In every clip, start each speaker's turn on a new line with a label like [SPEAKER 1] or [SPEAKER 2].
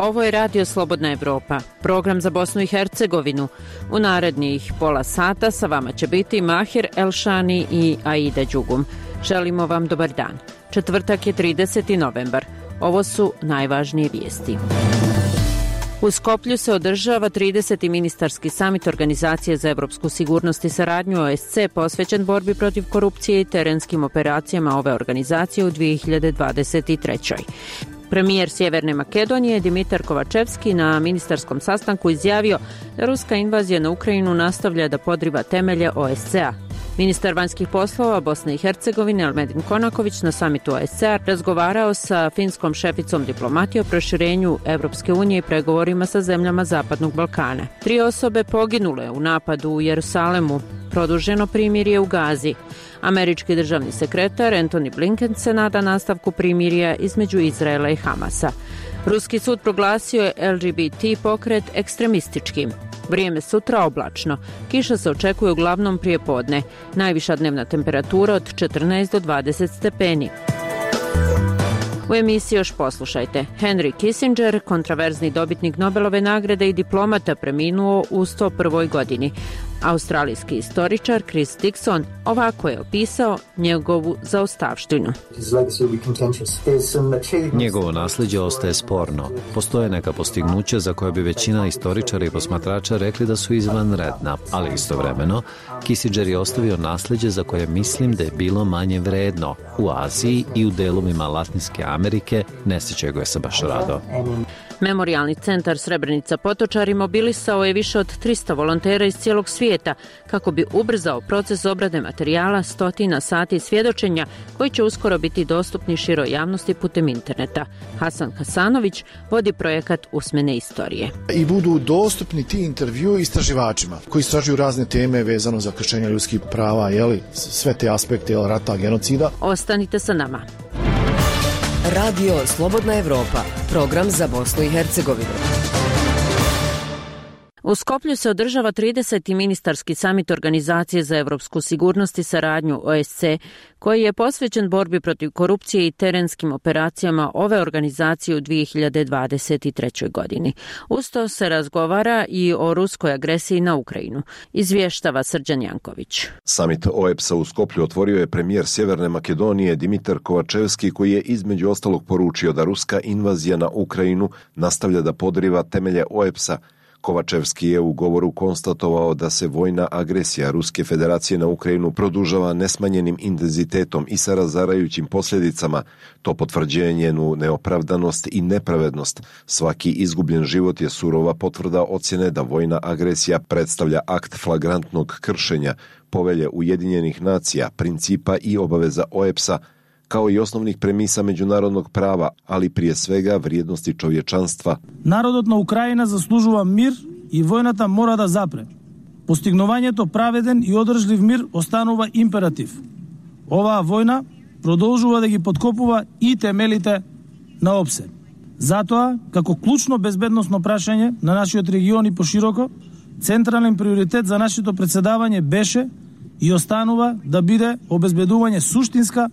[SPEAKER 1] Ovo je Radio Slobodna Evropa, program za Bosnu i Hercegovinu. U narednih pola sata sa vama će biti Mahir Elšani i Aida Đugum. Želimo vam dobar dan. Četvrtak je 30. novembar. Ovo su najvažnije vijesti. U Skoplju se održava 30. ministarski samit Organizacije za evropsku sigurnost i saradnju OSC posvećen borbi protiv korupcije i terenskim operacijama ove organizacije u 2023. Premijer Sjeverne Makedonije Dimitar Kovačevski na ministarskom sastanku izjavio da ruska invazija na Ukrajinu nastavlja da podriva temelje OSCE-a. Ministar vanjskih poslova Bosne i Hercegovine Elmedin Konaković na samitu OSCE-a razgovarao sa finskom šeficom diplomatije o proširenju Evropske unije i pregovorima sa zemljama Zapadnog Balkana. 3 osobe poginule u napadu u Jerusalemu, produženo primirje u Gazi. Američki državni sekretar Antony Blinken se nada nastavku primirja između Izraela i Hamasa. Ruski sud proglasio je LGBT pokret ekstremističkim. Vrijeme sutra oblačno. Kiša se očekuje uglavnom prije podne. Najviša dnevna temperatura od 14 do 20 stepeni. U emisiji još poslušajte. Henry Kissinger, kontraverzni dobitnik Nobelove nagrade i diplomata, preminuo u 101. godini. Australijski istoričar Chris Dixon ovako je opisao njegovu zaostavštinu.
[SPEAKER 2] Njegovo nasljeđe ostaje sporno. Postoje neka postignuća za koje bi većina istoričara i posmatrača rekli da su izvanredna, ali istovremeno Kissinger je ostavio nasljeđe za koje mislim da je bilo manje vredno. U Aziji i u delovima Latinske Amerike ne sjećaju ga se baš rado.
[SPEAKER 1] Memorijalni centar Srebrenica Potočari mobilisao je više od 300 volontera iz cijelog svijeta kako bi ubrzao proces obrade materijala 100 sati svjedočenja koji će uskoro biti dostupni široj javnosti putem interneta. Hasan Hasanović vodi projekat Usmene istorije.
[SPEAKER 3] I budu dostupni ti intervjui istraživačima koji istražuju razne teme vezano za kršenje ljudskih prava, sve te aspekte rata, genocida.
[SPEAKER 1] Ostanite sa nama.
[SPEAKER 4] Radio Slobodna Evropa, program za Bosnu i Hercegovinu.
[SPEAKER 1] U Skoplju se održava 30. ministarski samit Organizacije za evropsku sigurnost i saradnju OSCE, koji je posvećen borbi protiv korupcije i terenskim operacijama ove organizacije u 2023. godini. Usto se razgovara i o ruskoj agresiji na Ukrajinu, izvještava Srđan Janković.
[SPEAKER 5] Samit OEPS-a u Skoplju otvorio je premijer Sjeverne Makedonije Dimitar Kovačevski, koji je između ostalog poručio da ruska invazija na Ukrajinu nastavlja da podriva temelje OEPS-a. Kovačevski je u govoru konstatovao da se vojna agresija Ruske federacije na Ukrajinu produžava nesmanjenim intenzitetom i sa razarajućim posljedicama. To potvrđuje njenu neopravdanost i nepravednost. Svaki izgubljen život je surova potvrda ocjene da vojna agresija predstavlja akt flagrantnog kršenja Povelje Ujedinjenih nacija, principa i obaveza OEPS-a, kao i osnovnih premisa međunarodnog prava, ali prije svega vrijednosti čovječanstva.
[SPEAKER 6] Народот на Украина заслужува мир и војната мора да запре. Постигнувањето праведен и одржлив мир останува императив. Оваа војна продолжува да ги подкопува и темелите на ОПСЕ. Затоа, како клучно безбедносно прашање на нашиот регион и пошироко, централен приоритет за нашето председавање беше и останува да биде обезбедување суштинска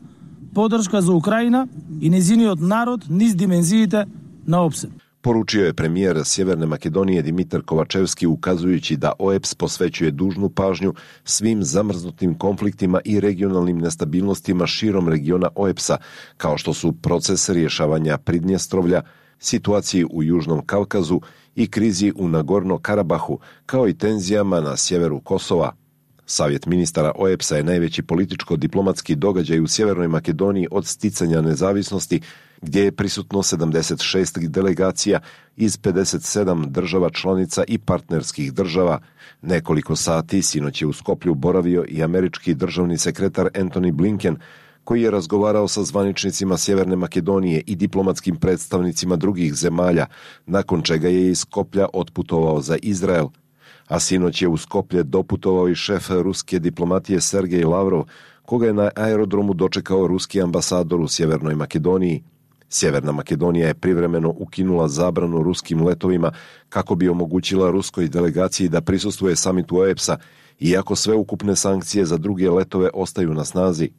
[SPEAKER 6] podrška za Ukrajina i njeziniот narod niz dimenzijite na OPSE.
[SPEAKER 5] Poručio je premijer Sjeverne Makedonije Dimitar Kovačevski, ukazujući da OEPS posvećuje dužnu pažnju svim zamrznutim konfliktima i regionalnim nestabilnostima širom regiona OEPS-a, kao što su proces rješavanja Pridnjestrovlja, situaciji u Južnom Kavkazu i krizi u Nagorno-Karabahu, kao i tenzijama na sjeveru Kosova. Savjet ministara OEPS-a je najveći političko-diplomatski događaj u Sjevernoj Makedoniji od sticanja nezavisnosti, gdje je prisutno 76 delegacija iz 57 država članica i partnerskih država. Nekoliko sati sinoć je u Skoplju boravio i američki državni sekretar Antony Blinken, koji je razgovarao sa zvaničnicima Sjeverne Makedonije i diplomatskim predstavnicima drugih zemalja, nakon čega je iz Skoplja otputovao za Izrael. A sinoć je u Skoplje doputovao i šef ruske diplomatije Sergej Lavrov, koga je na aerodromu dočekao ruski ambasador u Sjevernoj Makedoniji. Sjeverna Makedonija je privremeno ukinula zabranu ruskim letovima kako bi omogućila ruskoj delegaciji da prisustvuje samitu OEPS-a, iako sve ukupne sankcije za druge letove ostaju na snazi.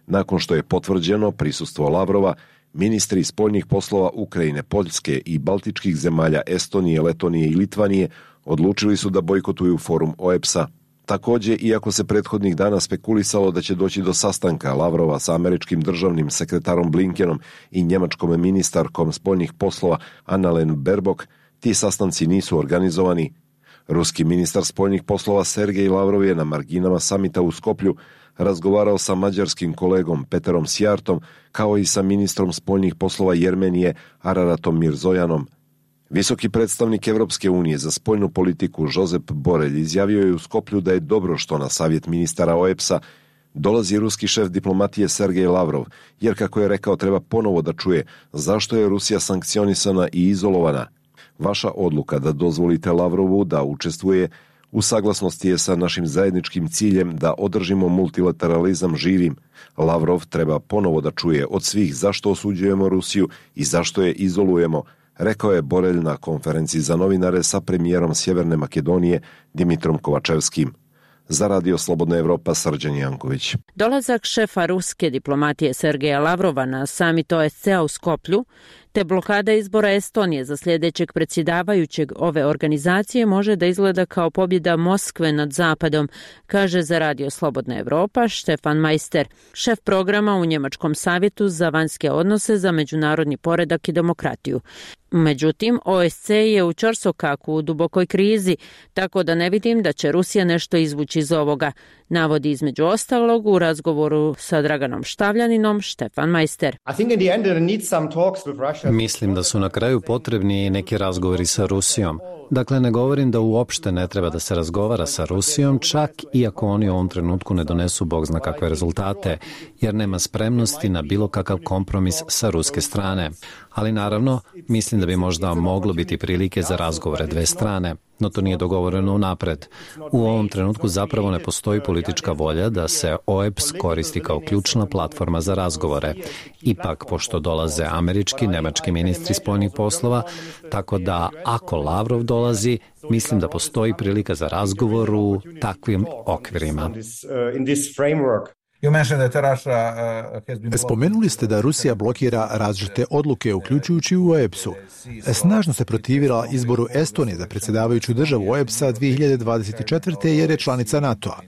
[SPEAKER 5] Nakon što je potvrđeno prisustvo Lavrova, Ministri spoljnih poslova Ukrajine, Poljske i baltičkih zemalja Estonije, Letonije i Litvanije odlučili su da bojkotuju forum OEBS-a. Također, iako se prethodnih dana spekulisalo da će doći do sastanka Lavrova sa američkim državnim sekretarom Blinkenom i njemačkom ministarkom spoljnih poslova Annalena Baerbock, ti sastanci nisu organizovani. Ruski ministar spoljnih poslova Sergej Lavrov je na marginama samita u Skoplju razgovarao sa mađarskim kolegom Peterom Sjartom kao i sa ministrom spoljnih poslova Jermenije Araratom Mirzojanom. Visoki predstavnik Evropske unije za spoljnu politiku Josep Borrell izjavio je u Skoplju da je dobro što na savjet ministara OEBS-a dolazi ruski šef diplomatije Sergej Lavrov, jer kako je rekao treba ponovo da čuje zašto je Rusija sankcionisana i izolovana. Vaša odluka da dozvolite Lavrovu da učestvuje u saglasnosti je sa našim zajedničkim ciljem da održimo multilateralizam živim. Lavrov treba ponovo da čuje od svih zašto osuđujemo Rusiju i zašto je izolujemo, rekao je Borrell na konferenciji za novinare sa premijerom Sjeverne Makedonije Dimitrom Kovačevskim. Za Radio Slobodna Evropa, Srđan Janković.
[SPEAKER 1] Dolazak šefa ruske diplomatije Sergeja Lavrova na samit OSCE-a u Skoplju te blokada izbora Estonije za sljedećeg predsjedavajućeg ove organizacije može da izgleda kao pobjeda Moskve nad Zapadom, kaže za Radio Slobodna Evropa Štefan Majster, šef programa u Njemačkom savjetu za vanjske odnose za međunarodni poredak i demokratiju. Međutim, OSCE je u ćorsokaku u dubokoj krizi, tako da ne vidim da će Rusija nešto izvući iz ovoga, navodi između ostalog u razgovoru sa Draganom Štavljaninom Štefan Majster.
[SPEAKER 2] Mislim da su na kraju potrebni neki razgovori sa Rusijom. Dakle, ne govorim da uopšte ne treba da se razgovara sa Rusijom, čak i ako oni u ovom trenutku ne donesu bog zna kakve rezultate, jer nema spremnosti na bilo kakav kompromis sa ruske strane. Ali naravno, mislim da bi možda moglo biti prilike za razgovore dve strane, no to nije dogovoreno unapred. U ovom trenutku zapravo ne postoji politička volja da se OEBS koristi kao ključna platforma za razgovore. Ipak, pošto dolaze američki, nemački ministri spoljnih poslova, tako da ako Lavrov dolazi, mislim da postoji prilika za razgovor u takvim okvirima.
[SPEAKER 7] Spomenuli ste da Rusija blokira različite odluke, uključujući u OEBS-u. Snažno se protivila izboru Estonije za predsjedavajuću državu OEBS-a 2024. jer je članica NATO-a.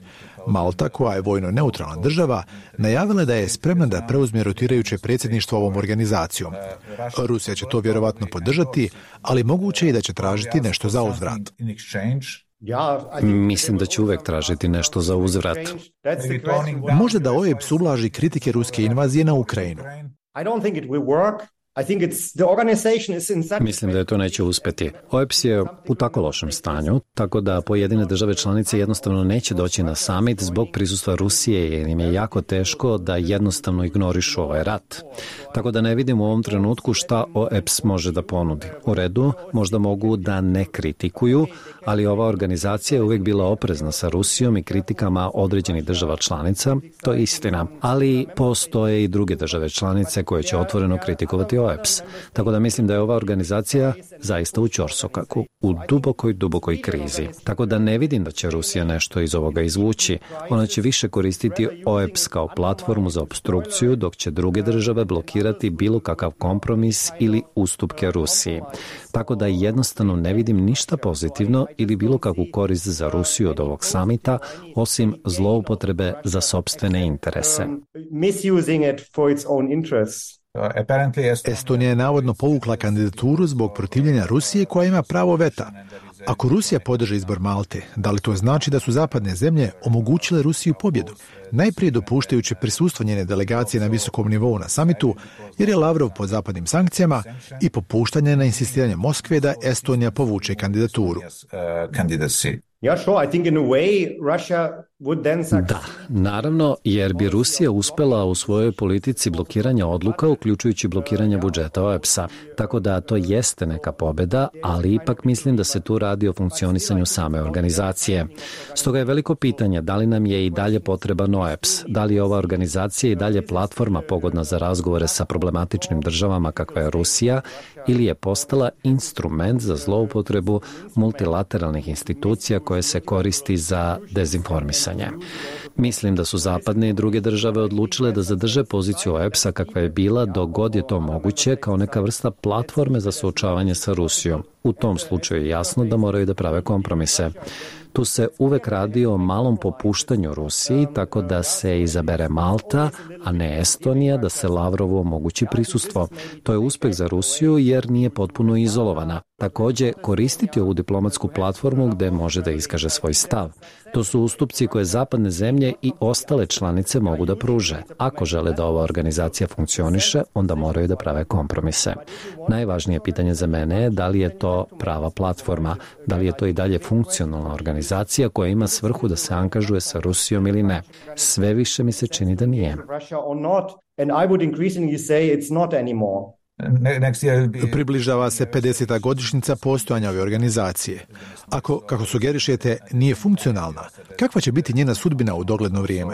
[SPEAKER 7] Malta, koja je vojno neutralna država, najavila da je spremna da preuzme rotirajuće predsjedništvo ovom organizacijom. Rusija će to vjerovatno podržati, ali moguće je da će tražiti nešto za uzvrat.
[SPEAKER 2] Mislim da će uvek tražiti nešto za uzvrat.
[SPEAKER 7] Možda da OEBS ublaži kritike ruske invazije na Ukrajinu.
[SPEAKER 2] Mislim da je to neće uspjeti. OEBS je u tako lošem stanju, tako da pojedine države članice jednostavno neće doći na summit zbog prisustva Rusije, jer im je jako teško da jednostavno ignorišu ovaj rat. Tako da ne vidim u ovom trenutku šta OEBS može da ponudi. U redu, možda mogu da ne kritikuju, ali ova organizacija je uvijek bila oprezna sa Rusijom i kritikama određenih država članica, to je istina. Ali postoje i druge države članice koje će otvoreno kritikovati OEBS. Tako da mislim da je ova organizacija zaista u ćorsokaku, u dubokoj krizi. Tako da ne vidim da će Rusija nešto iz ovoga izvući. Ona će više koristiti OEBS kao platformu za opstrukciju, dok će druge države blokirati bilo kakav kompromis ili ustupke Rusiji. Tako da jednostavno ne vidim ništa pozitivno ili bilo kakvu korist za Rusiju od ovog samita, osim zloupotrebe za sopstvene interese.
[SPEAKER 7] Estonija je navodno povukla kandidaturu zbog protivljenja Rusije koja ima pravo veta. Ako Rusija podrži izbor Malte, da li to znači da su zapadne zemlje omogućile Rusiju pobjedu? Najprije dopuštajući prisustvo njene delegacije na visokom nivou na samitu, jer je Lavrov pod zapadnim sankcijama, i popuštanje na insistiranje Moskve da Estonija povuče kandidaturu.
[SPEAKER 2] Da, naravno, jer bi Rusija uspela u svojoj politici blokiranja odluka, uključujući blokiranje budžeta OEBS-a. Tako da to jeste neka pobjeda, ali ipak mislim da se tu radi o funkcionisanju same organizacije. Stoga je veliko pitanje da li nam je i dalje potreban OEBS, da li je ova organizacija i dalje platforma pogodna za razgovore sa problematičnim državama kakva je Rusija, ili je postala instrument za zloupotrebu multilateralnih institucija koje se koristi za dezinformisanje. Mislim da su zapadne i druge države odlučile da zadrže poziciju OEBS-a kakva je bila dok god je to moguće kao neka vrsta platforme za suočavanje sa Rusijom. U tom slučaju je jasno da moraju da prave kompromise. Tu se uvek radi o malom popuštanju Rusiji, tako da se izabere Malta, a ne Estonija, da se Lavrovu omogući prisustvo. To je uspeh za Rusiju jer nije potpuno izolovana. Takođe, koristiti ovu diplomatsku platformu gde može da iskaže svoj stav. To su ustupci koje zapadne zemlje i ostale članice mogu da pruže. Ako žele da ova organizacija funkcioniše, onda moraju da prave kompromise. Najvažnije pitanje za mene je da li je to prava platforma, da li je to i dalje funkcionalna organizacija koja ima svrhu da se angažuje sa Rusijom ili ne. Sve više mi se čini da nije.
[SPEAKER 7] Približava se 50. godišnjica postojanja ove organizacije. Ako, kako sugerišete, nije funkcionalna, kakva će biti njena sudbina u dogledno vrijeme?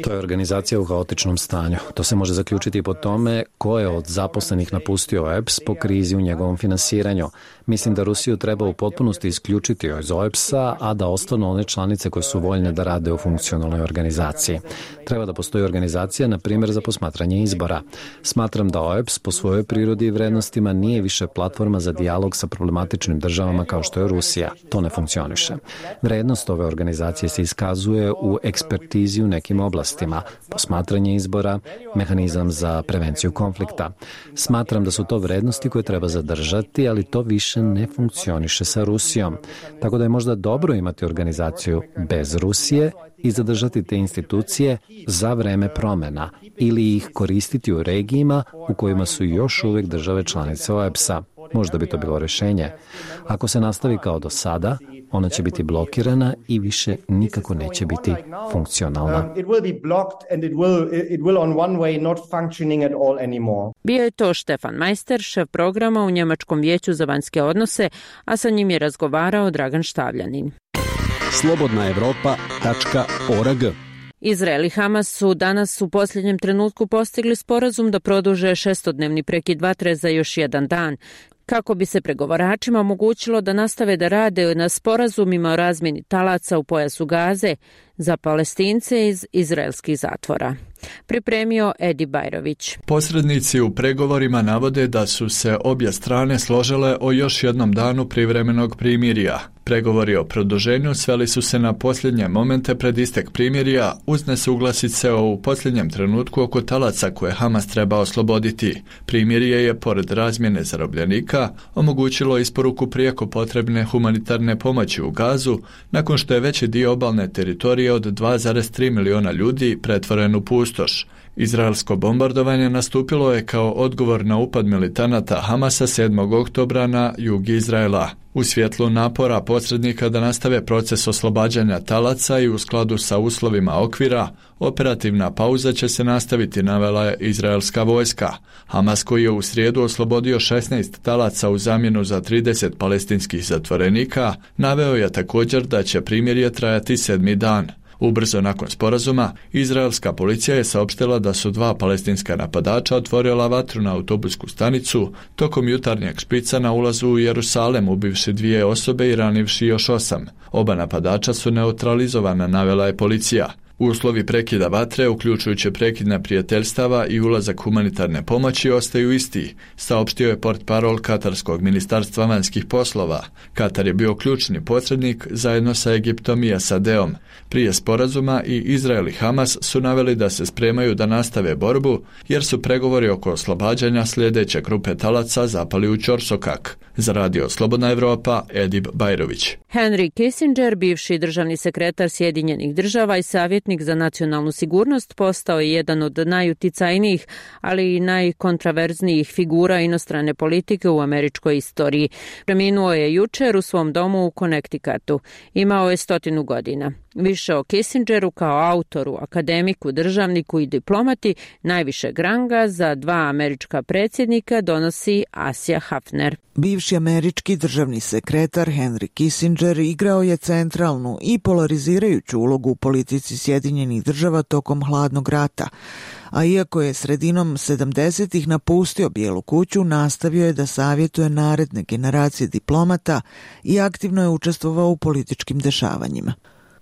[SPEAKER 2] To je organizacija u haotičnom stanju. To se može zaključiti po tome ko je od zaposlenih napustio OEBS po krizi u njegovom finansiranju. Mislim da Rusiju treba u potpunosti isključiti iz OEBS-a, a da ostanu one članice koje su voljne da rade u funkcionalnoj organizaciji. Treba da postoji organizacija, na primjer, za posmatranje izbora. Smatram da OEBS po svojoj prirodi i vrednostima nije više platforma za dijalog sa problematičnim državama kao što je Rusija. To ne funkcioniše. Vrednost ove organizacije se iskazuje u ekspertizi u nekim oblastima, posmatranje izbora, mehanizam za prevenciju konflikta. Smatram da su to vrednosti koje treba zadržati, ali to više ne funkcioniše sa Rusijom. Tako da je možda dobro imati organizaciju bez Rusije i zadržati te institucije za vreme promena ili ih koristiti u regijima u kojima su još uvijek države članice OEBS-a. Možda bi to bilo rješenje. Ako se nastavi kao do sada, ona će biti blokirana i više nikako neće biti funkcionalna.
[SPEAKER 1] Bio je to Stefan Majster, šef programa u Njemačkom vijeću za vanjske odnose, a sa njim je razgovarao Dragan Štavljanin.
[SPEAKER 8] slobodnaevropa.org.
[SPEAKER 1] Izrael i Hamas su danas u posljednjem trenutku postigli sporazum da produže 6-dnevni prekid vatre za još jedan dan, kako bi se pregovaračima omogućilo da nastave da rade na sporazumima o razmjeni talaca u pojasu Gaze za Palestince iz izraelskih zatvora. Pripremio Edi Bajrović.
[SPEAKER 9] Posrednici u pregovorima navode da su se obje strane složile o još jednom danu privremenog primirja. Pregovori o produženju sveli su se na posljednje momente pred istek primirja uz nesuglasice u posljednjem trenutku oko talaca koje Hamas treba osloboditi. Primirje je, pored razmjene zarobljenika, omogućilo isporuku prijeko potrebne humanitarne pomoći u Gazu, nakon što je veći dio obalne teritorije od 2,3 miliona ljudi pretvoren u pustoš. Izraelsko bombardovanje nastupilo je kao odgovor na upad militanata Hamasa 7. oktobra na jug Izraela. U svjetlu napora posrednika da nastave proces oslobađanja talaca i u skladu sa uslovima okvira, operativna pauza će se nastaviti, navela je izraelska vojska. Hamas, koji je u srijedu oslobodio 16 talaca u zamjenu za 30 palestinskih zatvorenika, naveo je također da će primirje trajati 7. dan. Ubrzo nakon sporazuma, izraelska policija je saopštila da su 2 palestinska napadača otvorila vatru na autobusku stanicu tokom jutarnjeg špica na ulazu u Jerusalem, ubivši 2 osobe i ranivši još 8. Oba napadača su neutralizovana, navela je policija. Uslovi prekida vatre, uključujući prekid neprijateljstava i ulazak humanitarne pomoći, ostaju isti, saopštio je portparol Katarskog ministarstva vanjskih poslova. Katar je bio ključni posrednik zajedno sa Egiptom i SAD-om. Prije sporazuma i Izrael i Hamas su naveli da se spremaju da nastave borbu, jer su pregovori oko oslobađanja sljedeće grupe talaca zapali u ćorsokak. Za radio Slobodna Evropa, Edib Bajrović.
[SPEAKER 1] Henry Kissinger, bivši državni sekretar Sjedinjenih država i savjetnik za nacionalnu sigurnost, postao je jedan od najuticajnijih, ali i najkontraverznijih figura inostrane politike u američkoj istoriji. Preminuo je jučer u svom domu u Connecticutu. Imao je 100 godina. Više o Kissingeru kao autoru, akademiku, državniku i diplomati najvišeg ranga za dva američka predsjednika donosi Asja Hafner.
[SPEAKER 8] Bivši američki državni sekretar Henry Kissinger igrao je centralnu i polarizirajuću ulogu u politici Sjedinjenih država tokom hladnog rata, a iako je sredinom 70-ih napustio Bijelu kuću, nastavio je da savjetuje naredne generacije diplomata i aktivno je učestvovao u političkim dešavanjima.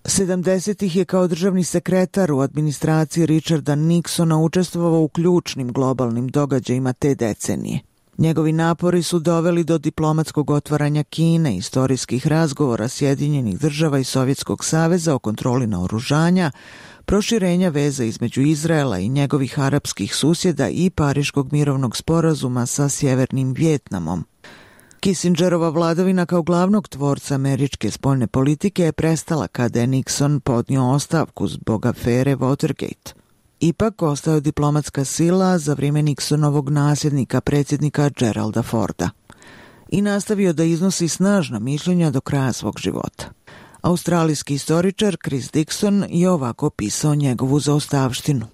[SPEAKER 8] 70-ih je kao državni sekretar u administraciji Richarda Nixona učestvovao u ključnim globalnim događajima te decenije. Njegovi napori su doveli do diplomatskog otvaranja Kine, istorijskih razgovora Sjedinjenih država i Sovjetskog saveza o kontroli naoružanja, proširenja veza između Izraela i njegovih arapskih susjeda i Pariškog mirovnog sporazuma sa Sjevernim Vijetnamom. Kissingerova vladavina kao glavnog tvorca američke spoljne politike je prestala kada je Nixon podnio ostavku zbog afere Watergate. Ipak ostao je diplomatska sila za vrijeme Nixonovog nasljednika predsjednika Geralda Forda i nastavio da iznosi snažna mišljenja do kraja svog života. Australijski istoričar Chris Dixon je ovako opisao njegovu zaostavštinu.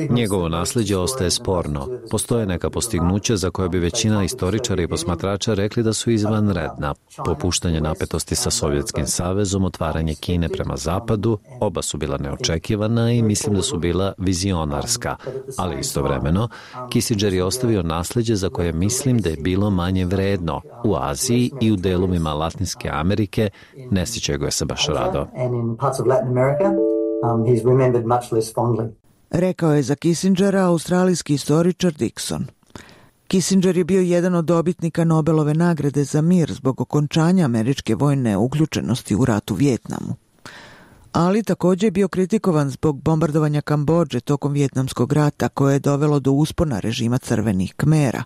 [SPEAKER 2] Njegovo nasljeđe ostaje sporno. Postoje neka postignuća za koje bi većina istoričara i posmatrača rekli da su izvanredna. Popuštanje napetosti sa Sovjetskim savezom, otvaranje Kine prema zapadu, oba su bila neočekivana i mislim da su bila vizionarska. Ali istovremeno, Kissinger je ostavio nasljeđe za koje mislim da je bilo manje vredno. U Aziji i u delovima Latinske Amerike ne sjećaju ga se baš rado.
[SPEAKER 8] Rekao je za Kissingera australijski istoričar Dixon. Kissinger je bio jedan od dobitnika Nobelove nagrade za mir zbog okončanja američke vojne uključenosti u rat u Vijetnamu. Ali također je bio kritikovan zbog bombardovanja Kambodže tokom Vijetnamskog rata koje je dovelo do uspona režima crvenih Kmera,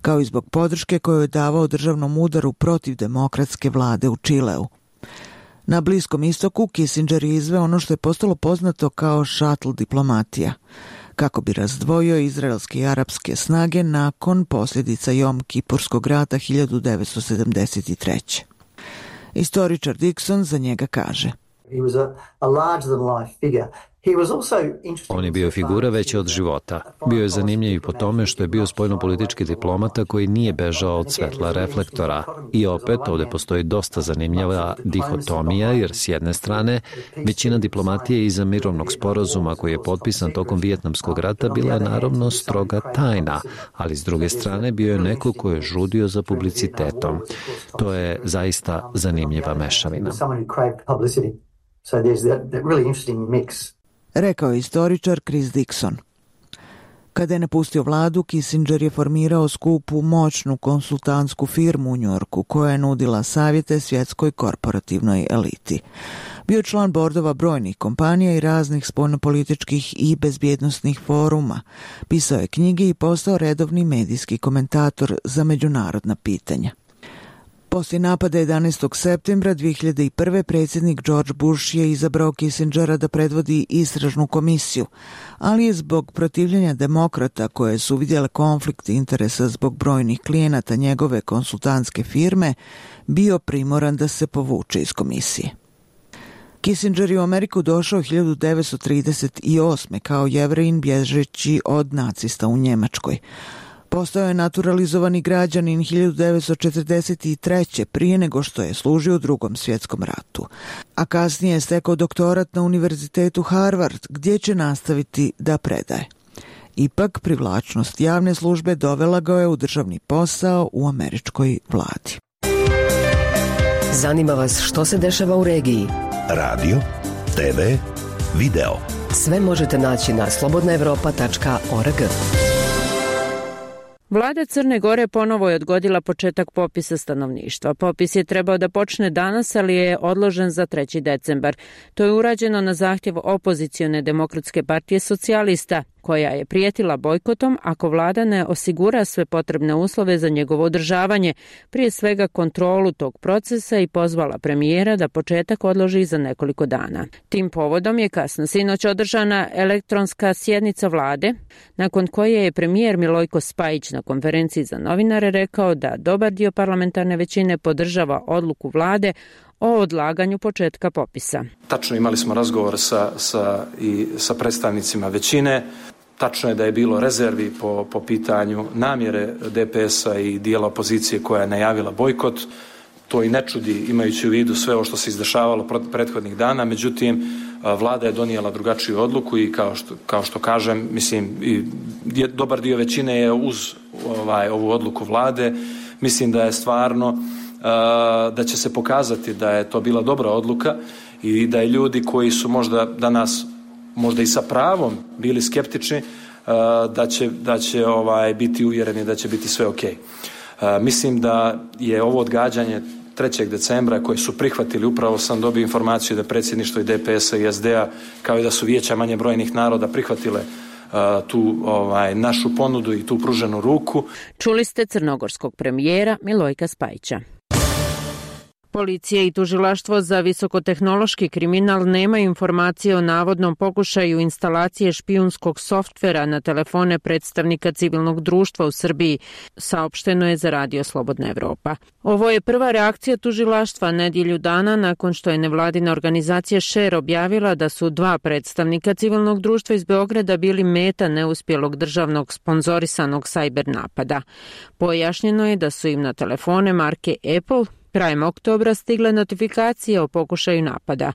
[SPEAKER 8] kao i zbog podrške koju je davao državnom udaru protiv demokratske vlade u Čileu. Na Bliskom istoku Kissinger je izveo ono što je postalo poznato kao šatl diplomatija, kako bi razdvojio izraelske i arapske snage nakon posljedica Jom Kipurskog rata 1973. Istoričar Dixon za njega kaže:
[SPEAKER 2] On je bio figura veća od života. Bio je zanimljiv i po tome što je bio spoljnopolitički diplomata koji nije bežao od svetla reflektora. I opet ovdje postoji dosta zanimljiva dihotomija, jer s jedne strane većina diplomatije iza mirovnog sporazuma koji je potpisan tokom Vijetnamskog rata bila je naravno stroga tajna, ali s druge strane bio je neko ko je žudio za publicitetom. To je zaista zanimljiva mešavina.
[SPEAKER 8] Rekao je istoričar Chris Dixon. Kada je napustio vladu, Kissinger je formirao skupu moćnu konsultantsku firmu u Njujorku koja je nudila savjete svjetskoj korporativnoj eliti. Bio je član bordova brojnih kompanija i raznih spoljnopolitičkih i bezbjednosnih foruma. Pisao je knjige i postao redovni medijski komentator za međunarodna pitanja. Poslije napada 11. septembra 2001. predsjednik George Bush je izabrao Kissingera da predvodi istražnu komisiju, ali je zbog protivljenja demokrata koje su vidjele konflikt interesa zbog brojnih klijenata njegove konsultantske firme bio primoran da se povuče iz komisije. Kissinger je u Ameriku došao 1938. kao Jevrejin bježeći od nacista u Njemačkoj. Postao je naturalizovani građanin 1943. prije nego što je služio u Drugom svjetskom ratu, a kasnije je stekao doktorat na Univerzitetu Harvard, gdje će nastaviti da predaje. Ipak, privlačnost javne službe dovela ga je u državni posao u američkoj vladi.
[SPEAKER 4] Zanima vas što se dešava u regiji?
[SPEAKER 10] Radio, TV, video.
[SPEAKER 4] Sve možete naći na slobodnaevropa.org.
[SPEAKER 1] Vlada Crne Gore ponovo je odgodila početak popisa stanovništva. Popis je trebao da počne danas, ali je odložen za 3. decembar. To je urađeno na zahtjev opozicione Demokratske partije socijalista, koja je prijetila bojkotom ako vlada ne osigura sve potrebne uslove za njegovo održavanje, prije svega kontrolu tog procesa, i pozvala premijera da početak odloži za nekoliko dana. Tim povodom je kasno sinoć održana elektronska sjednica vlade, nakon koje je premijer Milojko Spajić na konferenciji za novinare rekao da dobar dio parlamentarne većine podržava odluku vlade o odlaganju početka popisa.
[SPEAKER 11] Tačno imali smo razgovor sa predstavnicima većine. Tačno je da je bilo rezervi po pitanju namjere DPS-a i dijela opozicije koja je najavila bojkot. To i ne čudi imajući u vidu sve ovo što se izdešavalo prethodnih dana. Međutim, vlada je donijela drugačiju odluku i kao što kažem, mislim, dobar dio većine je uz ovu odluku vlade. Mislim da je stvarno da će se pokazati da je to bila dobra odluka i da je ljudi koji su možda danas možda i sa pravom bili skeptični da će biti uvjereni da će biti sve ok. Mislim da je ovo odgađanje 3. decembra koje su prihvatili, upravo sam dobio informaciju da predsjedništvo i DPS-a i SD-a kao i da su vijeća manje brojnih naroda prihvatile tu našu ponudu i tu pruženu ruku.
[SPEAKER 1] Čuli ste crnogorskog premijera Milojka Spajića. Policija i tužilaštvo za visokotehnološki kriminal nemaju informacije o navodnom pokušaju instalacije špijunskog softvera na telefone predstavnika civilnog društva u Srbiji, saopšteno je za Radio Slobodna Evropa. Ovo je prva reakcija tužilaštva nedjelju dana nakon što je nevladina organizacija Share objavila da su 2 predstavnika civilnog društva iz Beograda bili meta neuspjelog državnog sponzorisanog sajber napada. Pojašnjeno je da su im na telefone marke Apple krajem oktobra stigle notifikacije o pokušaju napada.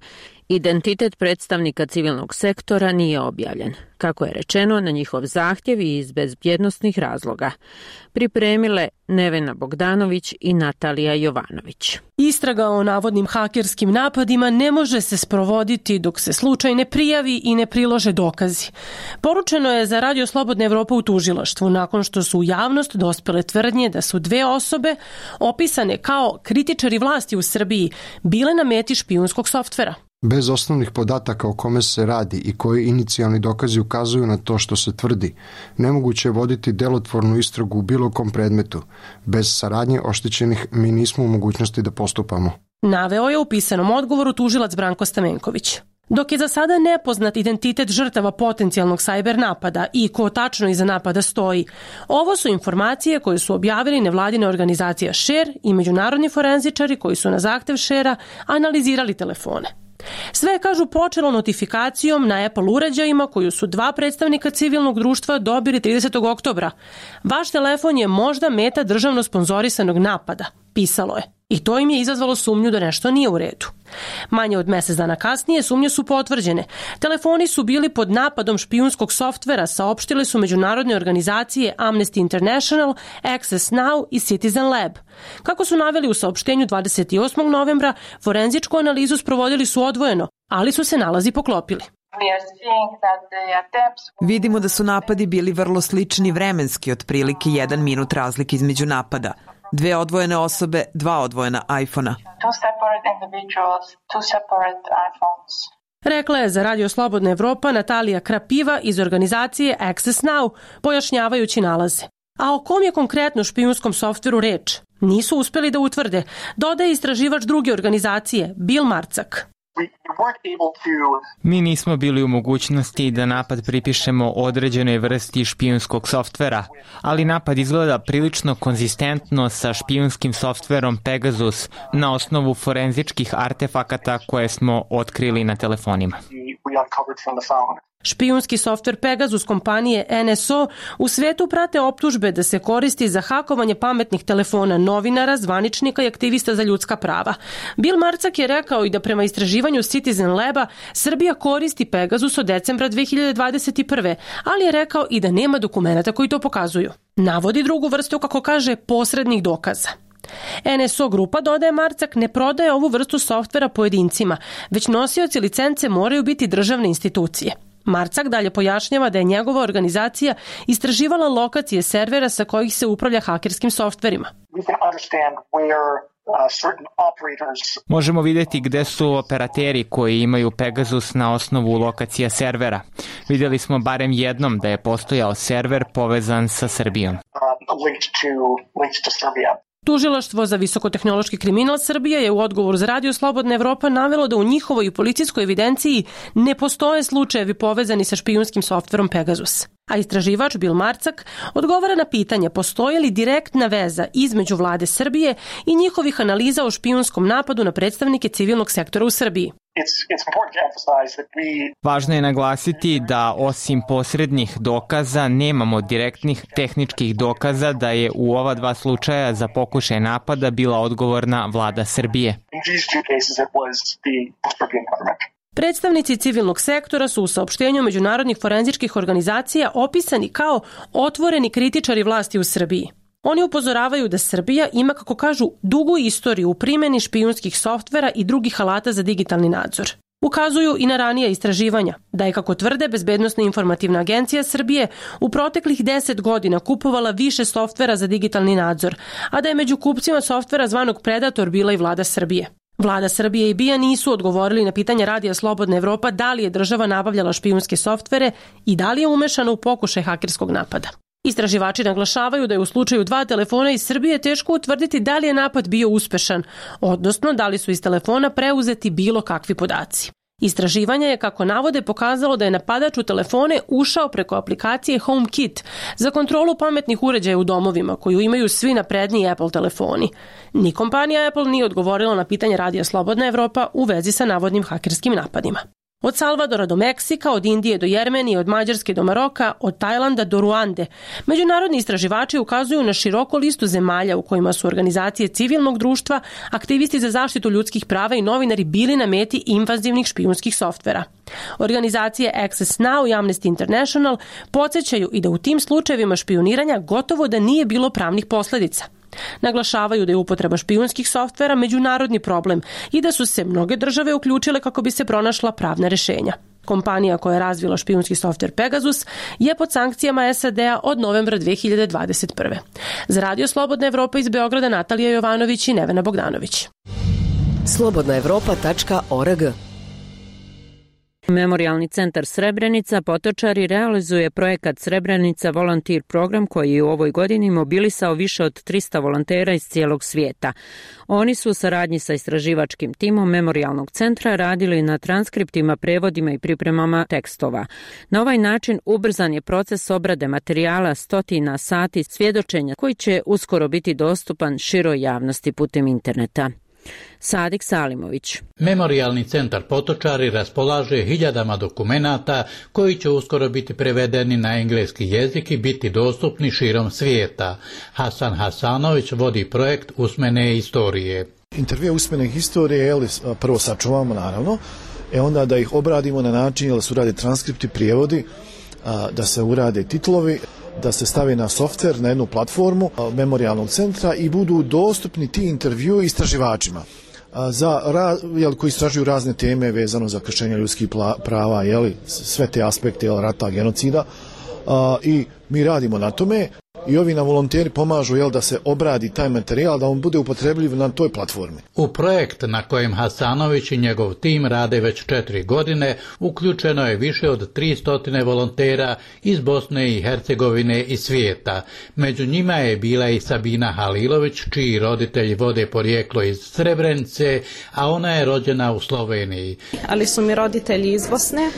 [SPEAKER 1] Identitet predstavnika civilnog sektora nije objavljen, kako je rečeno, na njihov zahtjev i iz bezbjednosnih razloga. Pripremile Nevena Bogdanović i Natalija Jovanović.
[SPEAKER 12] Istraga o navodnim hakerskim napadima ne može se sprovoditi dok se slučaj ne prijavi i ne prilože dokazi. Poručeno je za Radio Slobodna Evropa u tužilaštvu nakon što su u javnost dospele tvrdnje da su 2 osobe opisane kao kritičari vlasti u Srbiji bile na meti špijunskog softvera.
[SPEAKER 13] Bez osnovnih podataka o kome se radi i koji inicijalni dokazi ukazuju na to što se tvrdi, nemoguće je voditi delotvornu istragu u bilo kom predmetu. Bez saradnje oštećenih mi nismo u mogućnosti da postupamo.
[SPEAKER 12] Naveo je u pisanom odgovoru tužilac Branko Stamenković. Dok je za sada nepoznat identitet žrtava potencijalnog sajber napada i ko tačno iza napada stoji, ovo su informacije koje su objavili nevladina organizacija Share i međunarodni forenzičari koji su na zahtev Sharea analizirali telefone. Sve je, kažu, počelo notifikacijom na Apple uređajima koju su 2 predstavnika civilnog društva dobili 30. oktobra. Vaš telefon je možda meta državno sponzorisanog napada, pisalo je. I to im je izazvalo sumnju da nešto nije u redu. Manje od mjesec dana kasnije sumnje su potvrđene. Telefoni su bili pod napadom špijunskog softvera, saopštile su međunarodne organizacije Amnesty International, Access Now i Citizen Lab. Kako su naveli u saopštenju 28. novembra, forenzičku analizu sprovodili su odvojeno, ali su se nalazi poklopili.
[SPEAKER 14] Vidimo da su napadi bili vrlo slični vremenski, otprilike 1 minut razlike između napada. 2 odvojene osobe, 2 odvojena iPhone-a.
[SPEAKER 12] Rekla je za Radio Slobodna Evropa Natalija Krapiva iz organizacije Access Now, pojašnjavajući nalaze. A o kom je konkretno špijunskom softveru reč? Nisu uspjeli da utvrde, dodaje istraživač druge organizacije, Bill Marcak.
[SPEAKER 15] Mi nismo bili u mogućnosti da napad pripišemo određenoj vrsti špijunskog softvera, ali napad izgleda prilično konzistentno sa špijunskim softverom Pegasus na osnovu forenzičkih artefakata koje smo otkrili na telefonima.
[SPEAKER 12] Špijunski softver Pegasus kompanije NSO u svetu prate optužbe da se koristi za hakovanje pametnih telefona novinara, zvaničnika i aktivista za ljudska prava. Bill Marcak je rekao i da prema istraživanju Citizen Laba Srbija koristi Pegasus od decembra 2021. ali je rekao i da nema dokumenata koji to pokazuju. Navodi drugu vrstu, kako kaže, posrednih dokaza. NSO grupa, dodaje Marcak, ne prodaje ovu vrstu softvera pojedincima, već nosioci licence moraju biti državne institucije. Marcak dalje pojašnjava da je njegova organizacija istraživala lokacije servera sa kojih se upravlja hakerskim softverima.
[SPEAKER 15] Možemo vidjeti gde su operateri koji imaju Pegasus na osnovu lokacija servera. Vidjeli smo barem jednom da je postojao server povezan sa Srbijom.
[SPEAKER 12] Tužilaštvo za visokotehnološki kriminal Srbije je u odgovoru za Radio Slobodna Evropa navelo da u njihovoj policijskoj evidenciji ne postoje slučajevi povezani sa špijunskim softverom Pegasus. A istraživač Bil Marcak odgovara na pitanje postoji li direktna veza između vlade Srbije i njihovih analiza o špijunskom napadu na predstavnike civilnog sektora u Srbiji.
[SPEAKER 15] Važno je naglasiti da osim posrednih dokaza nemamo direktnih tehničkih dokaza da je u ova dva slučaja za pokušaj napada bila odgovorna vlada Srbije.
[SPEAKER 12] Predstavnici civilnog sektora su u saopštenju međunarodnih forenzičkih organizacija opisani kao otvoreni kritičari vlasti u Srbiji. Oni upozoravaju da Srbija ima, kako kažu, dugu istoriju u primjeni špijunskih softvera i drugih alata za digitalni nadzor. Ukazuju i na ranija istraživanja, da je, kako tvrde, Bezbednosna informativna agencija Srbije u proteklih 10 godina kupovala više softvera za digitalni nadzor, a da je među kupcima softvera zvanog Predator bila i vlada Srbije. Vlada Srbije i BIA nisu odgovorili na pitanje Radija Slobodna Evropa da li je država nabavljala špijunske softvere i da li je umešana u pokušaj hakerskog napada. Istraživači naglašavaju da je u slučaju 2 telefona iz Srbije teško utvrditi da li je napad bio uspešan, odnosno da li su iz telefona preuzeti bilo kakvi podaci. Istraživanje je, kako navode, pokazalo da je napadač u telefone ušao preko aplikacije HomeKit za kontrolu pametnih uređaja u domovima koju imaju svi napredniji Apple telefoni. Ni kompanija Apple nije odgovorila na pitanje Radija Slobodna Evropa u vezi sa navodnim hakerskim napadima. Od Salvadora do Meksika, od Indije do Jermenije, od Mađarske do Maroka, od Tajlanda do Ruande, međunarodni istraživači ukazuju na široku listu zemalja u kojima su organizacije civilnog društva, aktivisti za zaštitu ljudskih prava i novinari bili na meti invazivnih špijunskih softvera. Organizacije Access Now i Amnesty International podsjećaju i da u tim slučajevima špijuniranja gotovo da nije bilo pravnih posljedica. Naglašavaju da je upotreba špijunskih softvera međunarodni problem i da su se mnoge države uključile kako bi se pronašla pravna rješenja. Kompanija koja je razvila špijunski softver Pegasus je pod sankcijama SAD-a od novembra 2021. Za Radio Slobodna Evropa iz Beograda Natalija Jovanović i Nevena Bogdanović.
[SPEAKER 4] slobodnaevropa.org.
[SPEAKER 1] Memorijalni centar Srebrenica Potočari realizuje projekat Srebrenica Volunteer program koji je u ovoj godini mobilisao više od 300 volontera iz cijelog svijeta. Oni su u saradnji sa istraživačkim timom Memorijalnog centra radili na transkriptima, prevodima i pripremama tekstova. Na ovaj način ubrzan je proces obrade materijala stotina sati svjedočenja koji će uskoro biti dostupan široj javnosti putem interneta. Sadik Salimović.
[SPEAKER 16] Memorijalni centar Potočari raspolaže hiljadama dokumenata koji će uskoro biti prevedeni na engleski jezik i biti dostupni širom svijeta. Hasan Hasanović vodi projekt Usmene istorije.
[SPEAKER 3] Intervjue usmene historije prvo sačuvamo naravno, onda da ih obradimo na način da se urade transkripti, prijevodi, da se urade titlovi, da se stavi na softver, na jednu platformu Memorijalnog centra i budu dostupni ti intervju istraživačima koji istražuju razne teme vezano za kršenje ljudskih prava, sve te aspekte rata, genocida, i mi radimo na tome. I ovi nam volonteri pomažu da se obradi taj materijal, da on bude upotrebljiv na toj platformi.
[SPEAKER 16] U projekt na kojem Hasanović i njegov tim rade već 4 godine uključeno je više od 300 volontera iz Bosne i Hercegovine i svijeta. Među njima je bila i Sabina Halilović, čiji roditelji vode porijeklo iz Srebrenice, a ona je rođena u Sloveniji.
[SPEAKER 17] Ali su mi roditelji iz Bosne,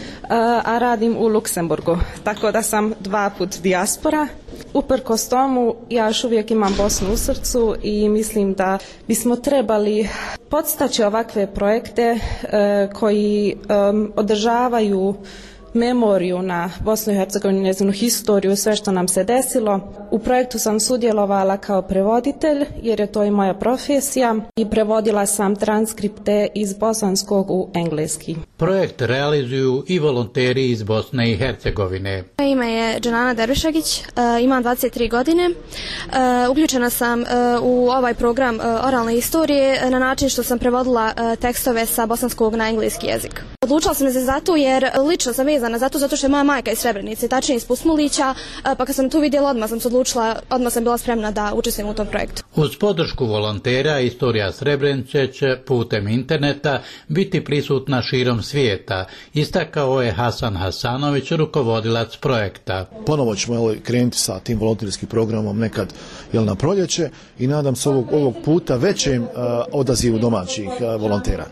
[SPEAKER 17] a radim u Luksemburgu, tako da sam 2 put dijaspora. Uprkos tomu, ja još uvijek imam Bosnu u srcu i mislim da bismo trebali podstaći ovakve projekte koji održavaju memoriju na Bosnu i Hercegovinu, njezinu historiju, sve što nam se desilo. U projektu sam sudjelovala kao prevoditelj, jer je to i moja profesija, i prevodila sam transkripte iz bosanskog u engleski.
[SPEAKER 16] Projekt realizuju i volonteri iz Bosne i Hercegovine.
[SPEAKER 18] Moje ime je Džanana Dervišagić, imam 23 godine. Uključena sam u ovaj program oralne historije na način što sam prevodila tekstove sa bosanskog na engleski jezik. Odlučila sam se zato jer lično sam vezana zato što je moja majka iz Srebrenice, tačnije iz Pusmulića, pa kad sam tu vidjela odmah sam se odlučila, odmah sam bila spremna da učestvujem u tom projektu.
[SPEAKER 16] Uz podršku volontera Istorija Srebrenice će putem interneta biti prisutna širom svijeta, istakao je Hasan Hasanović, rukovodilac projekta.
[SPEAKER 3] Ponovo ćemo krenuti sa tim volonterskim programom nekad na proljeće i nadam se ovog puta većem odazivu domaćih volontera.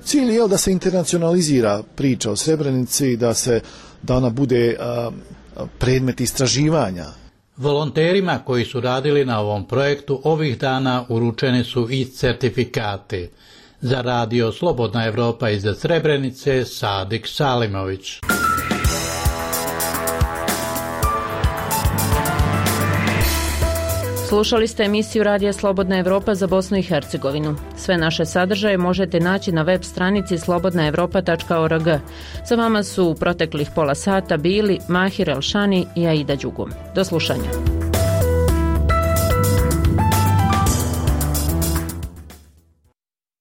[SPEAKER 3] Cilj je da se internacionalizira priča o Srebrenici, da ona bude predmet istraživanja.
[SPEAKER 16] Volonterima koji su radili na ovom projektu ovih dana uručeni su i certifikati. Za radio Slobodna Evropa iz Srebrenice, Sadik Salimović.
[SPEAKER 1] Slušali ste emisiju Radija Slobodna Evropa za Bosnu i Hercegovinu. Sve naše sadržaje možete naći na web stranici slobodnaevropa.org. Za vama su u proteklih pola sata bili Mahir Elšani i Aida Đugum. Do slušanja.